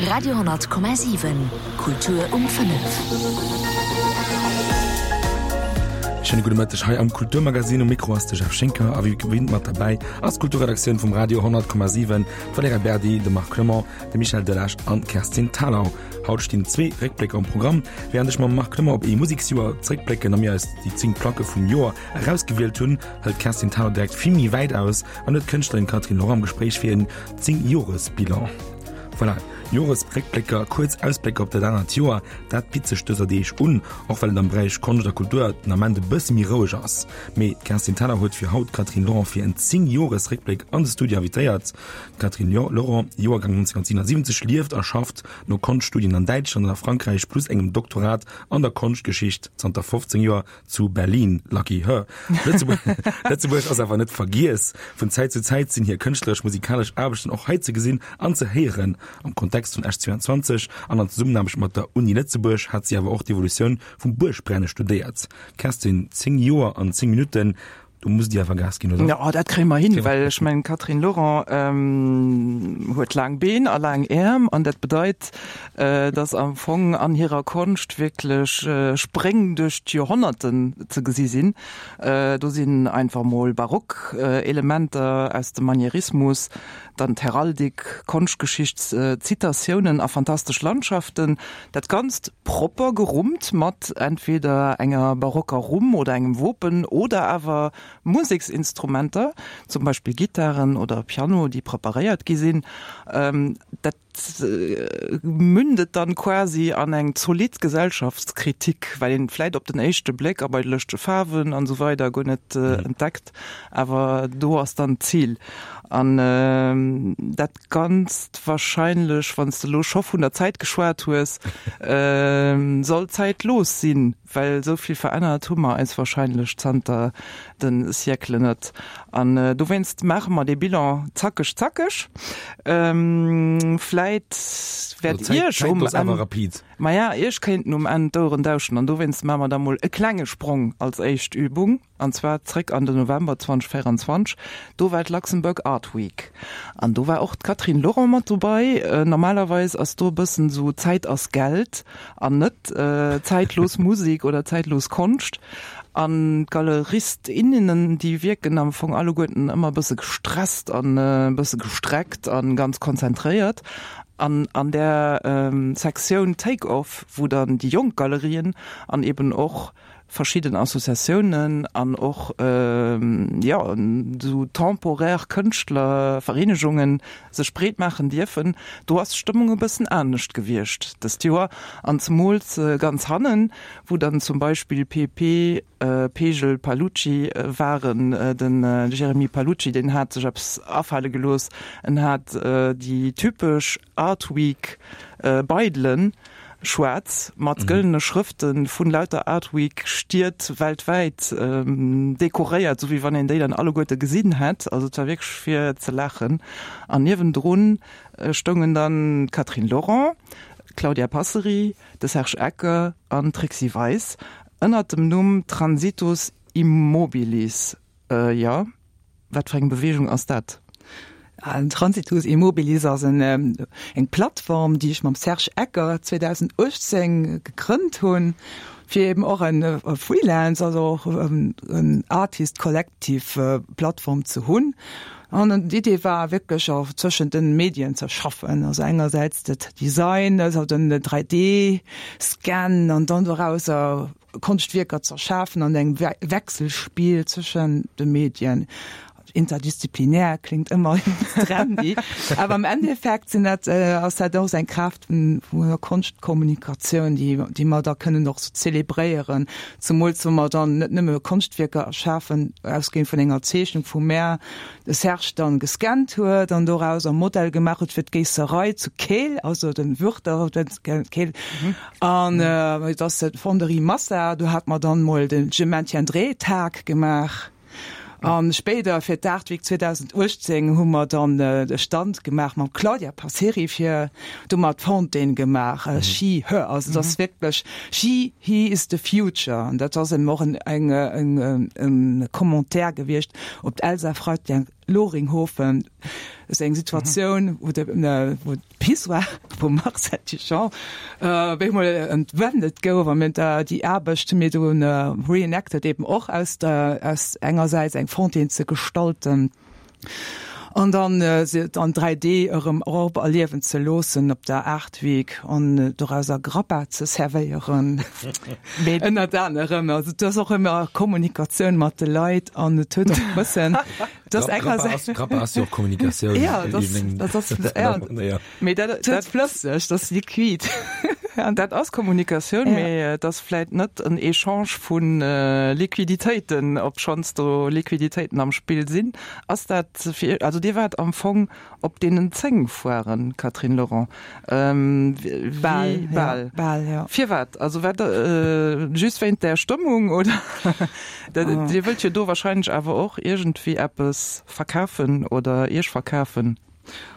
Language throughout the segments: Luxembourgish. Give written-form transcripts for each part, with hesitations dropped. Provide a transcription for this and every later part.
Radio,7 Kultur um 5. Schéine gudde Mëtteg hei am Kulturmagazin. Um Mikro ass de Jeff Schinker a wéi gewinnt mat derbäi ass d'Kulturredaktioun vum Radio 10,7, d'Valerija Berdi, de Marc Clement, de Michel Delage an d'Kerstin Thalau. Haut stinn zwee Réckblécker um Programm. Wärend ech mam Marc Clement op ee Museksjoer zeréckblécken a mir eis déi 10 Placke vum Joer erausgewielt hunn, hëlt d'Kerstin Thalau direkt vill méi wäit aus an huet d'Kënschtlerin Catherine Laurent am Gespréich fir en 10 Joresbilan. Voilà, Joresréckblécker, kuerz Ausblécker op dat anert Joer, dat bitt sech dëser Deeg un, och well et am Beräich Konscht a Kultur den Ament e bësse méi roueg ass. Mee d'Kerstin Thalau huet fir haut d'Catherine Laurent fir en 10 Joresréckbléck an de Studio invitéiert. D'Catherine Laurent, Joergang 1977, lieft a schafft no Konschtstudien an Däitschland an a Frankräich plus engem Doktorat an der Konschtgeschicht zanter 15 Joer zu Berlin. Lucky her. Lëtzebuerg ass awer net vergiess. Vun Zäit zu Zäit sinn hir kënschtleresch-musikalesch Aarbechten och hei ze gesinn an ze héieren. Am Kontext vun Esch 22 an an Zesummenaarbecht mat der Uni Lëtzebuerg hat si awer och d'Evolutioun vum Buergbrenne studéiert. Kerstin, 10 Joer an 10 Minutten, do musst Dir awer Gas ginn, oder? Jo, dat kréie mer hin, well ech mengen, d'Catherine Laurent huet laang Been a laang Äerm an dat bedeit, dass am Fong an hirer Konscht wierklech Spréng duerch d'Joerhonnerten ze gesi sinn. Do sinn einfach mol barock Elementer aus dem Manierismus, dann d'Heraldik, Konschtgeschicht, Zitatiounen a fantastesch Landschaften. Dat Ganzt propper gerummt mat entweder enger barocker Rumm oder engem Wopen oder awer Museksinstrumenter, zum Beispill Gittaren oder Piano, déi preparéiert gi sinn. Dat mündet dann quasi an eng zolidd Gesellschaftskritik, well een vläit op den éischte Bléck a bei de lëschtege Faarwen an esou weider guer net entdeckt, awer do ass dann d'Zil. An dat Ganzt wahrscheinlech, wann s de elo scho vun der Zäit geschwat hues, soll zäitlos sinn. Well esou vill verännert hu mer eis wahrscheinlech zanter de Sièclen net. An dowéinst maache mer dee Bilan zackeg, zackeg. Vläit wäert Iech um Enn, maja, Iech kéinten um Enn d'Oueren dauschen. An dowéinst maache mer da mol e klenge Sprong als éischt Übung. An zwar zréck an den November 2024. Do war d'Luxembourg Art Week. An do war och d'Catherine Laurent mat dobei. Normalerweis ass do e bëssen esou Zäit ass Geld an net zäitlos Musek oder zäitlos Konscht. An d'Galerist, innen, déi wierken am Fong alleguerten ëmmer e bësse gestresst an e bësse gestreckt an ganz konzentréiert. An an där Sektioun Take Off, wou dann déi jonk Galerien an eben och verschidden Associatiounen an och, jo, esou temporär Kënschtlervereenegungen sech breet maachen dierfen. Do ass d'Stëmmung e bëssen anescht gewiescht dëst Joer an zemools ganz hannen, wou dann zum Beispill PP, Pegel, Palucci waren. Den Jeremy Palucci, deen hat sech eppes afale gelooss, en hat déi typesch Art Week Beidelen, Schwaarz mat gëllene Schrëfte vun lauter Art Week Stied weltwäit dekoréiert, sou wéi wann een déi dann alleguerte gesinn hätt. Also et war wierklech fir ze laachen. An niewendrun stoungen dann d'Catherine Laurent, d'Claudia Passeri, de Serge Ecker an d'Trixi Weis ënnert dem Numm Transitus Immobilis. Jo. Wat fir eng Beweegung ass dat? Den Transitus Immobilis ass eng Plattform, déi ech mam Serge Ecker 2018 gegrënnt hunn, fir eben och e Freelance, also och en Artist Collective Plattform ze hunn. An d'Idee war wierklech och zwëschent den Medien ze schaffen, also engersäits de Design, also den 3D Scan an dann dorauser Konschtwierker z'erschafen an engem Wechselspiel zwëschen de Medien. Interdisziplinär klingt ëmmer trendy, awer am Endeffekt sinn dat, ass dat och eng Kraaft vun der Konschtkommunikatioun, déi, déi mer da kënnen och sou zelebréieren, zemools wa mer dann net nëmme Konschtwierker erschafen, ausgehend vun enger Zeechnung vu mär, de Serge dann gescannt huet an doraus e Modell gemaach huet fir d'Géisserei zu Keel, also den Würter Keel. An et ass d'Fonderie Massa, do hat mer dann mol de Je maintiendrai Tag gemaach. An spéider fir d'Art Week 2018 hu mer dann de Stand gemaach mam Claudia Passeri fir, do hu mer d'Fontaine gemaach, She, Her, also et ass wierklech She, He is the future. An dat ass eben och en, eng, en, en Commentaire gewiescht op d'Elsa Freitag. Loringhoven, ass eng Situatioun, wou de, wou d'Pissoir vum Marcel Duchamp op eemol entwendet gouf a mir déi Aarbecht hu mir do reenacted eben och aus der, aus engersäits eng Fontaine ze gestalten an dann se an 3D erëm och erliewen ze loossen op der Art Week an dorauser Grappa ze servéieren ënnert anerem. Also et ass och ëmmer Kommunikatioun mat de Leit an et huet och e bëssen Das Grappa ass, Grappa ass jo och Kommunikatioun. Ja, das, das ass, ja. ja. Mee dat, dat flësseg, das liquid. Dat ass Kommunikatioun, ja. mee et ass vläit net en Echange vun äh, Liquiditéiten, obschonns do Liquiditéiten am Spill sinn. Ass dat fir, also Dir waart am Fong op deenen 10 Foiren, Catherine Lorent. Ähm, bal, bal. Ja, bal, ja. Firwat? Also wat, äh, just wéint der Stëmmung oder? Dat, oh. Dir wëllt jo do wahrscheinlech awer och iergendwéi eppes verkafen oder Iech verkafen.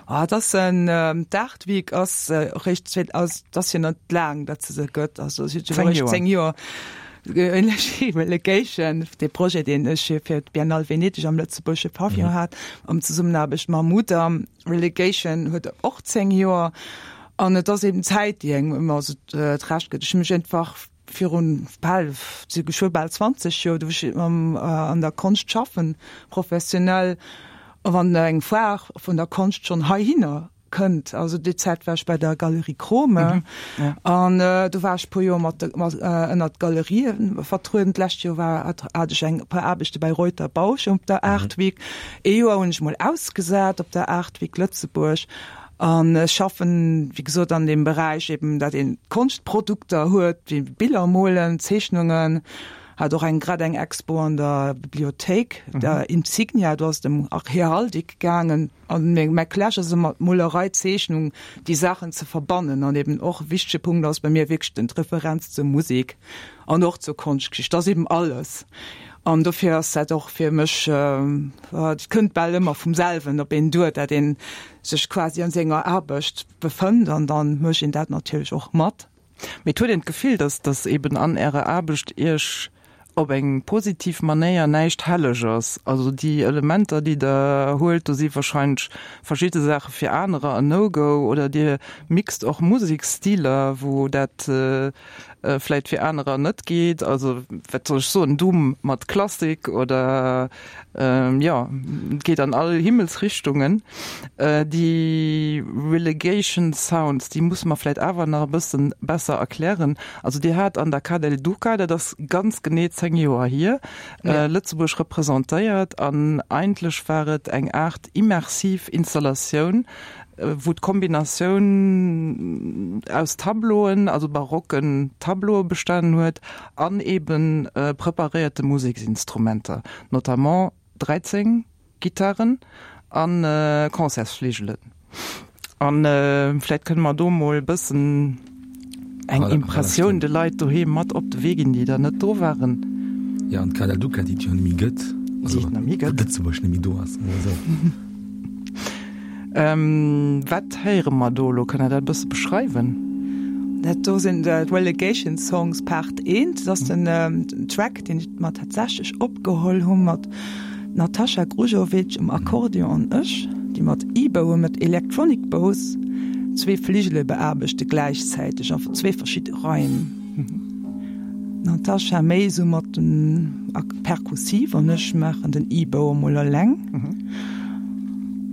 Ah, et ass en ähm, d'Art Week ass äh, réischt zwee, ass, et ass jo net laang, datt se se gëtt, also se huet jo réischt 10 Joer. Relegation, dee Projet, deen ech fir d'Biennale Venedeg am lëtzebuergesche Pavillon mhm. hat, am Zesummenaarbecht mam Mudam. Relegation huet och 10 Joer. An et ass eben d'Zäit, déi engem ëmmer esou d'Recht gëtt. Ech hu mech einfach virun bal, si geschwë bal 20 Joer, do wou ech an der Konscht schaffen, professionell, a wann eng Foire vun der Konscht schonn heihinner kënnt, also déi Zäit war ech bei der Galerie Krome an do war ech e puer Joer mat ënnert d'Galerië vertrueden. D'lescht Joer war hat ech eng puer Aarbechte bei Reuter Bausch op der Art Week. Ee Joer hunn ech mol ausgesat op der Art Week Lëtzebuerg. An ech schaffen, wéi gesot, an deem Beräich eben, dat een Konschtprodukter huet, wéi Biller molen, Zeechnungen. Hat och eng grad eng Expo an der Bibliothéik, der Insignia, do ass et ëm Heraldik gaangen. An meng mäi Clash ass ëmmer d'Molerei, d'Zeechnung, déi Saachen ze verbannen. An eben och e wichtege Punkt ass bei mir wierklech den d'Referenz zur Musek an och zur Konschtgeschicht. Dat ass eben alles. An dofir ass dat och fir mech, et kënnt bal ëmmer vum selwen op een duer, dat een sech quasi an senger Aarbecht befënnt an dann mécht een dat natierlech och mat. Mee et huet een d'Gefill, dass dass eben an Ärer Aarbecht Iech op eng positiv Manéier näischt helleg ass. Also déi Elementer, déi Der huelt, do si wahrscheinlech verschidde Saache fir anerer en No-Go oder Dir mixt och Museksstiler, wou dat vläit fir anerer net geet. Also wat soll ech soen, Doom mat Klassik oder jo, et geet an all Himmelsrichtungen. Déi Relegation Sounds, déi musse mer vläit awer nach e bësse besser erklären. Also Dir hat an der Ca' del Duca, dat ass ganz genee 10 Joer hier, Lëtzebuerg representéiert an eigentlech war et eng Aart immersiv Installatioun, wou d'Kombinatioun aus Tableauen, also barocken Tableaue bestanen huet an eebe preparéierte Museksinstrumenter, notamment 13 Gittaren a Concertsfligelen. A vläicht kënne mer do mol e bëssen eng Impressioun de Leit doheem mat op de Wee ginn, déi da net do waren. Jo, an d'Cada Duca, déi et jo net méi gëtt, also déi et net méi gëtt, Lëtzebuerg net méi do ass, soe mer esou. Wat héiere mer do elo? Kënnt Der dat e bësse beschreiwen? Dat do sinn d'Relegation Songs Part I. Dat ass den Track, deen ech mer tatsächlech opgeholl hu mat D'Natasha Grujovic um Akkordeon an ech, déi mat E-Bowen, mat Electronic Bows, zwee Fligele beaarbechte gläichzäiteg a zwee verschidde Raim. D'Natasha méi esou mat den Perkussiv an ech maachen den E-Bow emol eleng.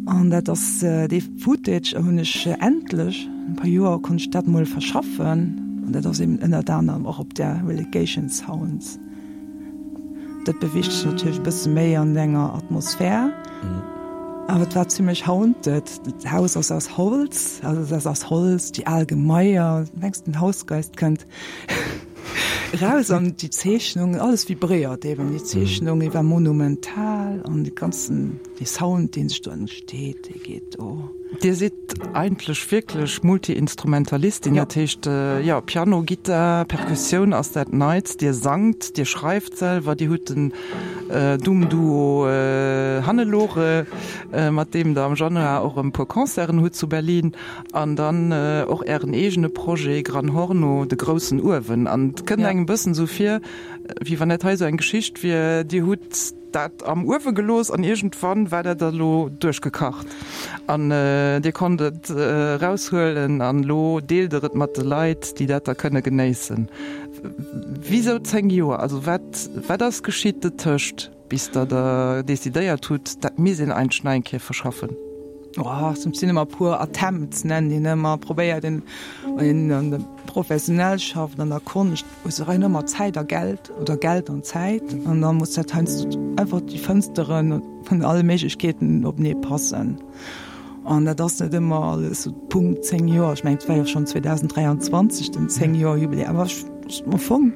An dat ass dee Footage hunn ech endlech, no e puer Joer konnt ech dat mol verschaffen an dat ass eben ënnert anerem och op där Relegation Sounds. Dat beweegt sech natierlech e bësse méi an enger Atmosphär. Awer et war zimmlech haunted. D'Haus ass aus Holz, also et ass aus Holz, déi al Gemaier, du mengs den Hausgeist kënnt eraus an déi Zeechnungen, alles vibréiert eben, déi Zeechnung, déi war monumental an de ganzen, dee Sound, dee sech do entsteet, dee geet do. Dir sidd eigentlech wierklech Multi-Instrumentalistin, dat heescht, jo, Piano, Gittar, Perkussioun ass dat Neits. Dir sangt, Dir schreift selwer, Dir hutt den Doom-Duo Hannelore, mat deem Der am Januar och e puer Concerten hutt zu Berlin, an dann och Ären eegene Projet Gran Horno, de groussen Uewen. An et kënnt engem e bëssen esou vir, wéi wann dat hei esou eng Geschicht wier, Dir hutt. dat am Uewe gelooss an iergendwann war dat da lo duerchgekacht an Dir konnt et eraushuelen an elo deelt Der et mat de Leit, déi dat da kënne genéissen. Wisou 10 Joer? Also wat, wat ass geschitt dotëscht, bis Der da decidéiert hutt, dat misst een eigentlech nach eng Kéier verschaffen? Oh, et sinn ëmmer e puer Attempts, nennen een ëmmer, probéiert een, wann een professionell schafft an der Konscht, hues de rein ëmmer Zäit a Geld oder Geld an Zäit an da muss dat heiansdo einfach déi Fënstere vun alle Méiglechkeeten openee passen. An dat ass net ëmmer alles sou Punkt 10 Joer. Ech mengen, et war jo schonn 2023 den 10 Joer Jubiläum, awer ech am Fong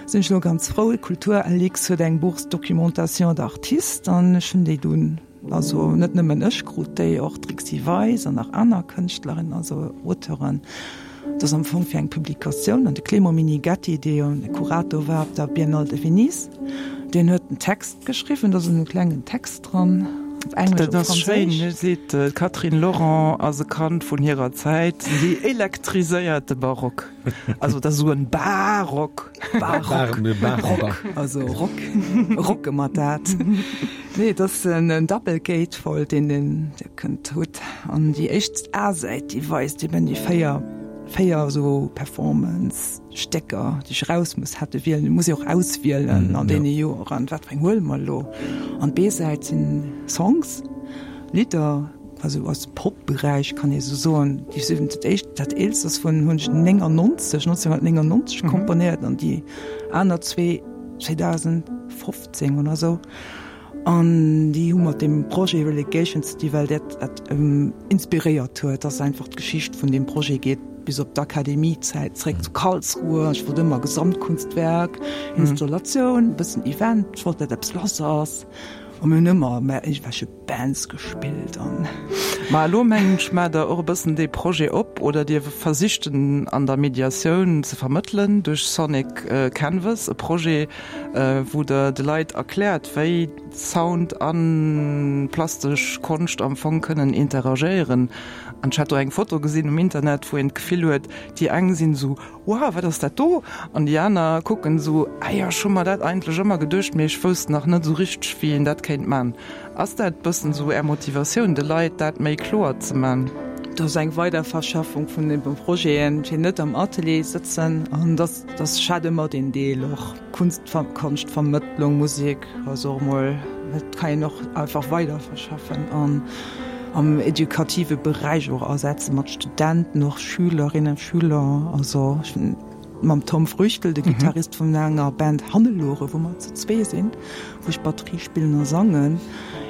sinn ech elo ganz frou. D'Kultur-Alix huet eng Bourse documentation d'artistes an ech hunn déi dunn Also net nëmmen ech krut déi, och d'Trixi Weis an nach aner Kënschtlerinnen, also Auteuren. Dat ass am Fong fir eng Publikatioun. An de Clément Minighetti, dee jo de Kurator war op der Biennale de Venise, deen huet den Text geschriwwen. Do ass en klengen Text dran, op Englesch, op Franséisch. Dat ass schéin. Hie seet, d'Catherine Laurent ass e Kand vun hirer Zäit, si elektriséiert de Barock. Also dat ass esou en Barock. Barock. Rock. Also Rock. Rocke mer dat. Nee, et ass en Double Gatefold, deen den Dir kënnt hutt. An déi éischt A-Säit, déi weist eben déi 4, 4 esou Performance-Stécker, déi ech eraus muss hätte wielen. Et muss ee och auswielen an deene Joeren, wat fir eng huele mer elo. An d'B-Säit sinn Songs, Lidder, also aus dem Pop-Beräich, kann ee sou soen. Déi sinn dat éischt, dat eelst ass vun, hunn ech 99, 1999 komponéiert an déi aner zwee 2015 oder sou. An déi hu mat deem Projet Relegation City, well dat dat inspiréiert huet, dass einfach d'Geschicht vun deem Projet geet bis op d'Akademiezäit zréck zu Karlsruhe. Ech wollt ëmmer Gesamtkunstwerk, Installatioun, e bëssen Event, ech wollt dat eppes lass ass. A mir hunn ëmmer mä iergendwelche Bands gespillt an. Ma elo mengen ech, maacht Der och e bëssen dee Projet op oder Dir versicht en an der Mediatioun ze vermëttelen duerch Sonic Canvas, e Projet, wou Der de Leit erkläert, wéi Sound a plastesch Konscht am Fong kënnen interagéieren. An ech hat do eng Foto gesinn um Internet, wou een d'Gefill huet, déi eng sinn esou, Wow, wat ass dat do? An déi aner kucken esou, Ah jo, ech hu mer dat eigentlech ëmmer geduecht, mee ech wousst nach net esou richteg, wéi een dat kéint man. Ass dat bëssen esou Är Motivatioun, de Leit dat méi kloer ze man? Dat ass eng Weiderverschaffung vun de Projeten, fir net am Atelier sëtzen an dass dass ech hat ëmmer deen Deel och Kunst, Konschtvermëttlung, Musek, also och emol, dat kann een och einfach weiderverschaffen an am edukative Beräich och asetzen, mat Studenten, och Schülerinnen, Schüler, also ech hunn mam Tom Früchtl, de Gittarist vun enger Band Hannelore, wou mer zu zwee sinn, wou ech Batterie spillen a sangen,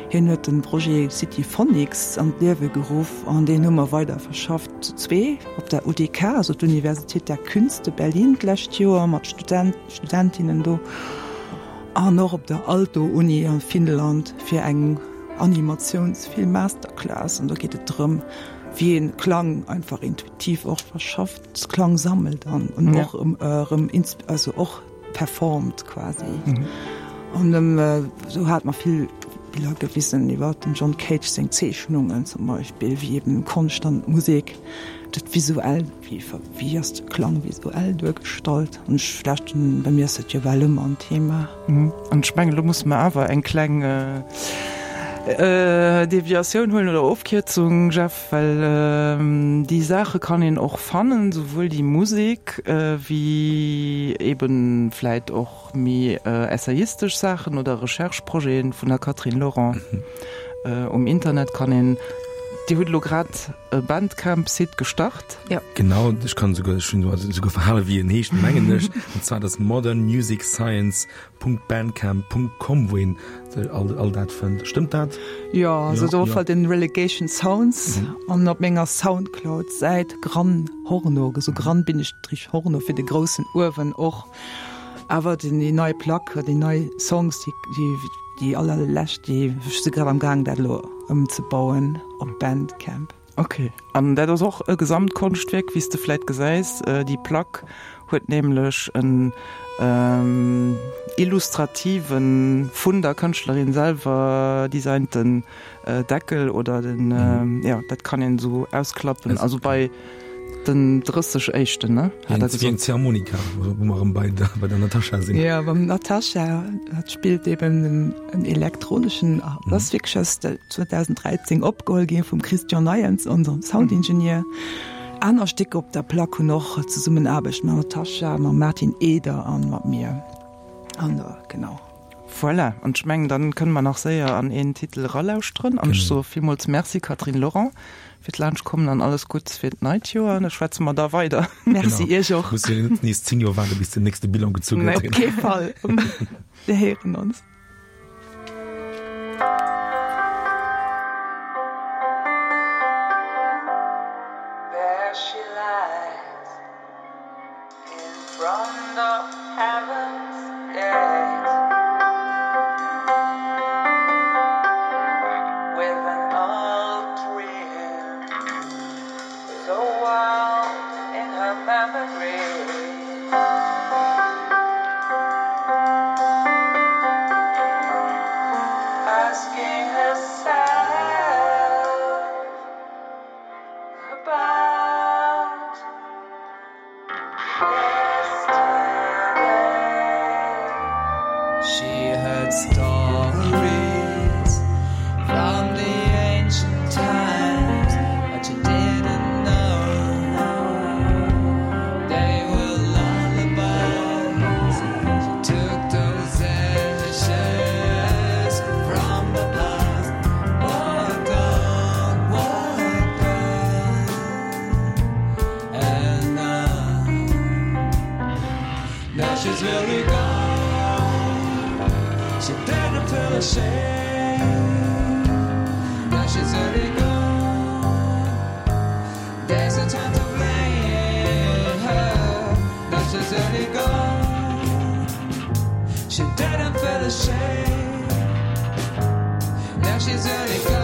hien huet de Projet City Phonics an d'Liewe geruff an deen hu mer weiderverschafft zu zwee op der UDK, also d'Universität der Künste Berlin d'lescht Joer mat Studenten, Studentinnen do an och op der Aalto-Uni a Finnland fir eng Animatiounsfilm-Masterclass an do geet et drëm, wéi een Klang einfach intuitiv och verschafft, Klang sammelt an och erëm also och performt quasi. An do hate mer vill Biller gewisen iwwer dem John Cage seng Zeechnungen zum Beispill, wéi eben Konscht an Musek dat visuell, wéi wéi ass de Klang visuell duergestallt. An ech vläicht, bei mir ass dat jo bal ëmmer en Thema. An ech mengen, elo musse mer awer eng kleng Deviatioun huelen oder Ofkierzung, Jeff, well déi Saache kann een och fannen, souwuel déi Musek wéi eebe vläit och méi essayistesch Saachen oder Recherche-Projete vun der Catherine Laurent um Internet kann een. Dir hutt elo grad e Bandcamp-Site gestart. Jo. Genau, ech kann esouguer, ech hunn esouguer verhale wéi en heescht, mengen ech, an zwar dat ass modernmusicscience Punkt Bandcamp Punkt com, wou een all, all dat fënnt. Stëmmt dat? Jo, also do fällt den Relegation Sounds an op menger Soundcloud Säit Gran Horno, esou Gran Bindestrich Horno fir de groussen Uewen och. Awer den déi nei Plack, déi nei Songs, déi, déi, déi allerlescht, déi, ech si grad am gaang dat elo ëmzebauen op Bandcamp. Ok, an dat ass och e Gesamtkonschtwierk, wéi s de vläit gesäis. Déi Plack huet nämlech en illustrativen, vun der Kënschtlerin selwer designten Deckel oder den, jo, dat kann een esou ausklappen. Also bei. Den 30 éischten, ne? Hat der gesot. Wéi eng Ziehharmonika, wou mer erëm bei der, bei der Natascha sinn. Jo, beim Natascha, hat spillt eben en elektroneschen, dat ass wierklech aus 2013 opgeholl gi vum Christian Neyens, onsem Soundingenieur. Aner Stécker op der Plack hunn och Zesummenaarbecht mam Natascha, mam Martin Eder an mat mir. An genau. Voilà, an ech mengen, dann kënne mer nach séier an een Titel eralauschteren. An ech soe villmools Merci, Catherine Lorent, fir d'Laanschtkommen an alles Gutts fir d'neit Joer. An da schwätze mer da weider. Merci Iech och. Muss jo net nees 10 Joer waarde bis den nächste Bilan gezu gëtt. Nee, op kee Fall. Mir héieren ons. There she lies. In front of heaven's gate With an old dream So wild in her memory Asking herself About She heard stories from the ancient times, but she didn't know they were lullabies. She took those ashes from the past. Walked on, walked on. And now, now she's really gone. She didn't feel ashamed. Now she's really gone. There's a time to blame her. Now she's really gone. She didn't feel ashamed. Now she's really gone.